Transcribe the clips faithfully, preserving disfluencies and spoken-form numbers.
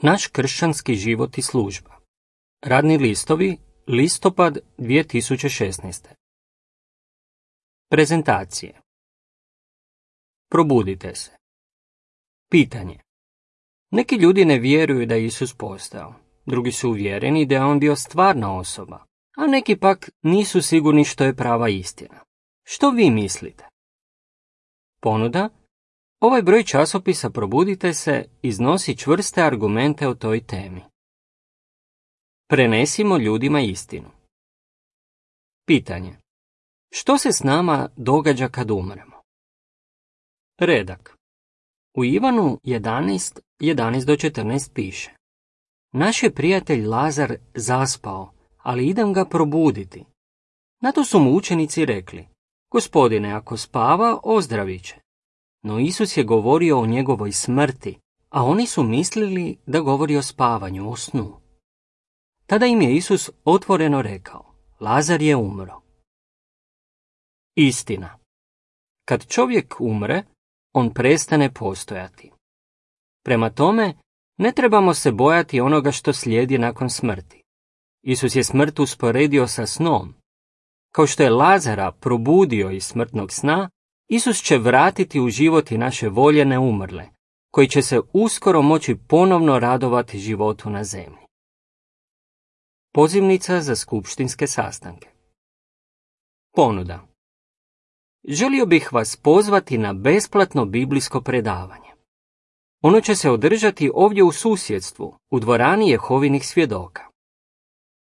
Naš kršćanski život i služba. Radni listovi, listopad dvije tisuće šesnaeste. Prezentacije. Probudite se. Pitanje. Neki ljudi ne vjeruju da je Isus postao, drugi su uvjereni da je on bio stvarna osoba, a neki pak nisu sigurni što je prava istina. Što vi mislite? Ponuda. Ovaj broj časopisa Probudite se iznosi čvrste argumente o toj temi. Prenesimo ljudima istinu. Pitanje. Što se s nama događa kad umremo? Redak. U Ivanu jedanaest, jedanaest do četrnaest piše: Naš je prijatelj Lazar zaspao, ali idem ga probuditi. Na to su mu učenici rekli: Gospodine, ako spava, ozdravit će. No Isus je govorio o njegovoj smrti, a oni su mislili da govori o spavanju, o snu. Tada im je Isus otvoreno rekao: Lazar je umro. Istina. Kad čovjek umre, on prestane postojati. Prema tome, ne trebamo se bojati onoga što slijedi nakon smrti. Isus je smrt usporedio sa snom. Kao što je Lazara probudio iz smrtnog sna, Isus će vratiti u život i naše voljene umrle, koji će se uskoro moći ponovno radovati životu na zemlji. Pozivnica za skupštinske sastanke. Ponuda. Želio bih vas pozvati na besplatno biblijsko predavanje. Ono će se održati ovdje u susjedstvu, u dvorani Jehovinih svjedoka.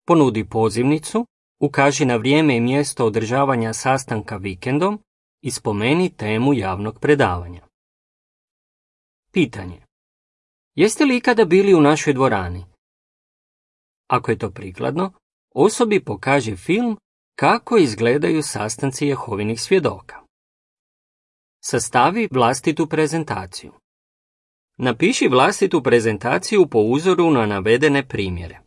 Ponudi pozivnicu, ukaži na vrijeme i mjesto održavanja sastanka vikendom i spomeni temu javnog predavanja. Pitanje. Jeste li ikada bili u našoj dvorani? Ako je to prikladno, osobi pokaži film kako izgledaju sastanci Jehovinih svjedoka. Sastavi vlastitu prezentaciju. Napiši vlastitu prezentaciju po uzoru na navedene primjere.